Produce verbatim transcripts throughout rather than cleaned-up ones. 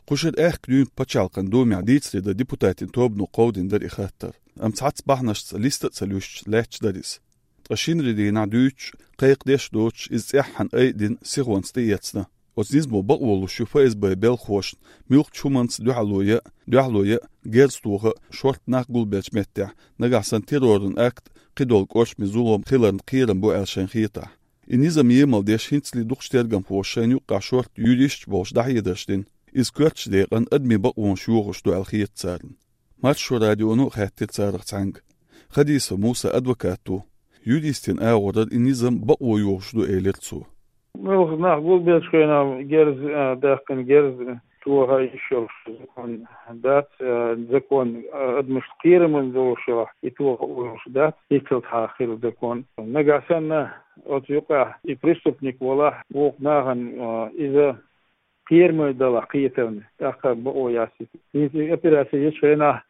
Кху шеран аьхка дуьйна пачхьалкхан Думехь дийцаре дан депутатийн тобано кховдийна дара и хаттар. Амма цхьацца бахьанашца листа а ца луьстуш лаьтташ дара иза. Ткъа шинарин дийнахь дуьйцуш, кхайкхадеш а доцуш, иза цӀеххьана айдина, сихонца тӀеэцна. Оцу низамо бакъо луш ю ФСБ-н белхалошна муьлххачу хӀуманца дуьхьало ян а, дуьхьало ян а, герз тохан а, шортта нах гулбеллачу меттехь, нагахь санна терроран акт, кхидолу кӀоршаме зулам хиларна кхерам бу аьлла шайна хетахь. И низам емал деш хӀинцале дукхачу тергамхоша шайна юккъехь шортта юристаш болуш дӀахьедарш дина. Иза коьртачу декъана адамийн бакъонаш йохош ду аьлла хета царна. Маршо радионо а хаьттира царах цхьаьнга. Хадисов Муса адвокат ву. Юристийн агӀорара и низам бакъо йохош ду, элира цо. Муьлхха нах гулбеллачу хенахь герз, а, даьккхина герз тоха йиш йолуш закон дац, а, закон, а, адамашна кхерам долуш йолахь, и тоха йолуш дац, хӀинццалц хьан хилла закон. Нагахь санна оцу юкъахь и преступник волахь, вукху нахана, а, иза кхераме далахь кхетарна, тӀаккха бакъо яц иза. ХӀинца и операци йечу хенахь,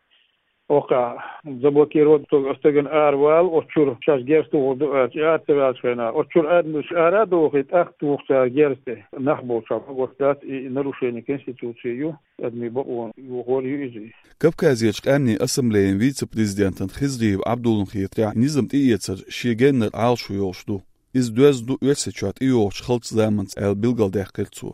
оккхахь заблокировать долу стагана аравала, оцу чуьра шаьш герз тухур ду аьлча, и ара ца ваьллачу хенахь, оцу чуьра адамаш ара а дохий, тӀаккха туху цара герз тӀе. Нах болчохь магош дац, и нарушение Конституции ю, адамийн бакъо йохор ю иза. Кавказерчу къаьмнийн ассамблеян вице-президентан Хизриев Ӏабдуллан хетарехь, низам тӀеэцар шен геннара Ӏалашо йолуш ду. Иза доьзна ду Оьрсийчохь тӀейогӀучу халчу заманца аьлла билгалдаьккхира цо.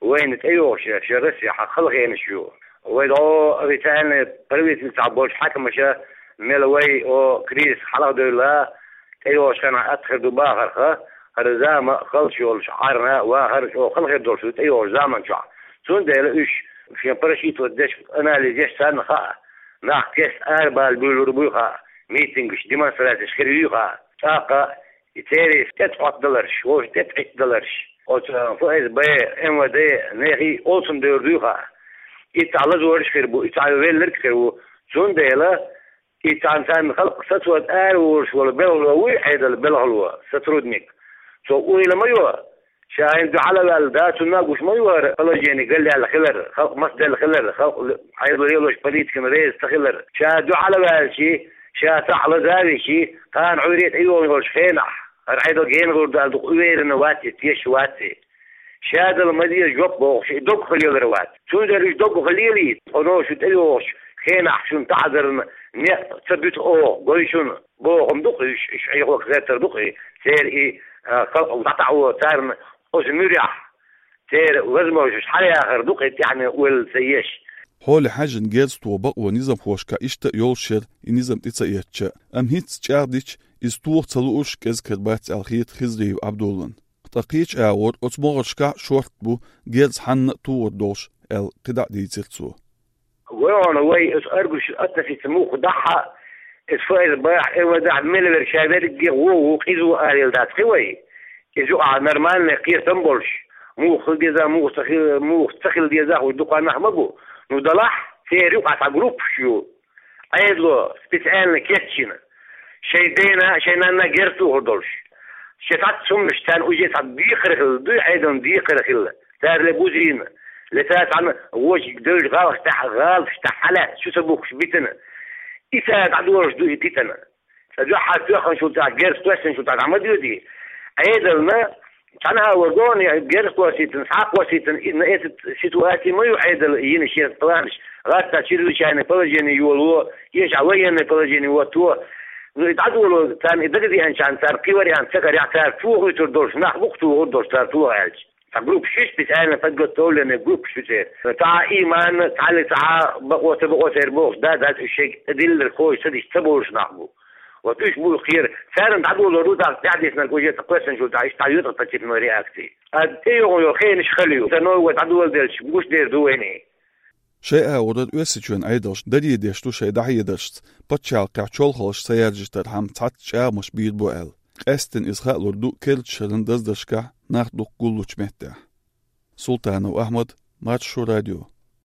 Вайна тӀейогӀуш шен Россехь хала хенаш ю. Вай дӀо официальный правительствехь болчу хьаькамаша мел вай, о, кризис хьалха девлла, тӀейогӀучу хенахь атта хир ду бахарх, хӀара зама а халчу йолуш Ӏарна вахар чӀогӀа хала хир долуш ду тӀейогӀучу заман чохь. Цундела уьш шен просчитывать деш, анализ еш царна хаьа. Нах кеста арабала буьйлур буй хаьа, митингаш, демонстрацеш хир юй хаьа. ТӀаккха и церан тӀетӀоттадаларш, вовшийн тӀетӀоттадаларш, оцу ФСБ, МВД, нехий олцун девр дуй хаьа. И цхьа лазораш хир бу, и цхьа велларг хир ву. Цундела и цхьана царна халкъ сацода араволуш волу белхало вуй, Ӏедалан белхало, сотрудник. Цо уйла ма йо, ша хӀинца дуьхьал а ваьлла, да, цунна а гуш ма ю хӀара положение галъяьлла хилар, халкъ мацделла хилар, халкъ Ӏедало лелош политикана реза ца хилар. Ша дуьхьал а ваьлча, ша цхьаъ лаза а вича, кхана Ӏуьйре тӀейогӀун йолчу хенахь, хӀара Ӏедал гена гӀур даьлла дукха уверенно вац и, тешаш вац и. Шадала ма деза жоп бохуш, и доггах лелар вац. Цундела уьш доггах лелийта, хьуно шу тӀейогӀучу хенахь шуна таӀзарна некъ ца буьту оха, гой шуна, бохам ду-кх уьш, уьш Ӏехо гӀертар ду-кх и, церан и, а, халкъ дӀатаӀо царна оцу муьрехь. Церан возможность хьалаяхар ду-кх и тӀаьхье ойла ца еш. Хьоле хьаьжжина герз тоха бакъо низамхошкахь иштта а йолуш яра и низам тӀе ца эцча а. Амма хӀинцца чӀагӀдича, иза тоха ца луурш кӀезиг хир бац аьлла хета Хизриев Ӏабдуллан. Ткъа кхечу агӀор оцу могӀаршкахь а шортта бу герз хьанна а тухур долуш аьлла кхидӀа а дийцира цо. Вайгахь вай оцу аргуш атта сица муха дахьа, иза ФСБ-хь, МВД-хь мел верг ша верриге а вон ву, къиза ву алийла дац кхин вай. Иза юкъахь нормальный кхетам болуш, муха хила деза, муха ца хи-, муха ца хила деза, хӀума дукха нах ма бу. Ну, далахь, церан юкъахь цхьа группаш ю. Ӏедало специально кечйина. Шайн дена, шайн нанна герз тухур долуш. Шен цхьацца хӀуманаш царна уже цхьа декхар хилла, дуй Ӏедална декхар хилла. Цара ле бузийна, ле цара цхьана вочу девлла гӀалгӀаш тӀехь, гӀалгӀаш тӀехь хьалаьцна, чу ца бухкуш битина. И цара дӀадолуш ду и дитина. Ца дуьххьара тоьхначул тӀехь, герз кхоьссинчул тӀехь дӀа ма доьдий. Ӏедална цхьана а вара гонах герз кхоссийтина, схьа а кхоссийтина, и на эта ситуация ма ю Ӏедал йина шен планаш. ГӀатта чрезвычайное положение йоло, эшахь военное положение вотто. Ну, и дӀадоло, царна и дагадеанчарна, цара кхин вариант ца карехь, цара тухуьйтур долуш, нах бу-кх тухур долуш, цара тоха аьлча. Цхьа группаш ю, специально подготовленный группаш ю церан. Цхьа а ийман, цхьа а, цхьа а бакъо, ца бакъо церан бохуш, да, дац, уьш шайга тӀедиллинарг ховш ца дича, ца бовлуш нах бу. Вот уьш бу кхера. Царна дӀадолор ду, тӀаккха тӀаьхьадиснарг уже ца кхоьссинчул тӀехь, иштта дӀайоьду тӀаккха цепной реакция. Ткъа тӀейогӀун йолу хенаш хала ю. Сан новый год дӀадоладелча, гуш дер ду вайна. Шайн агӀорара Оьрсийчоьнан Ӏедалш даре деш ду шайн дӀахьедаршца пачхьалкхехь чолхалш ца яржийтархьама цхьацца чӀагӀамаш бийр бу аьлла. Къаьсттина иза хаалур ду керлачу шеран даздаршкахь нах дукха гуллучу меттехь. Султанов Ахьмад, Маршо радио.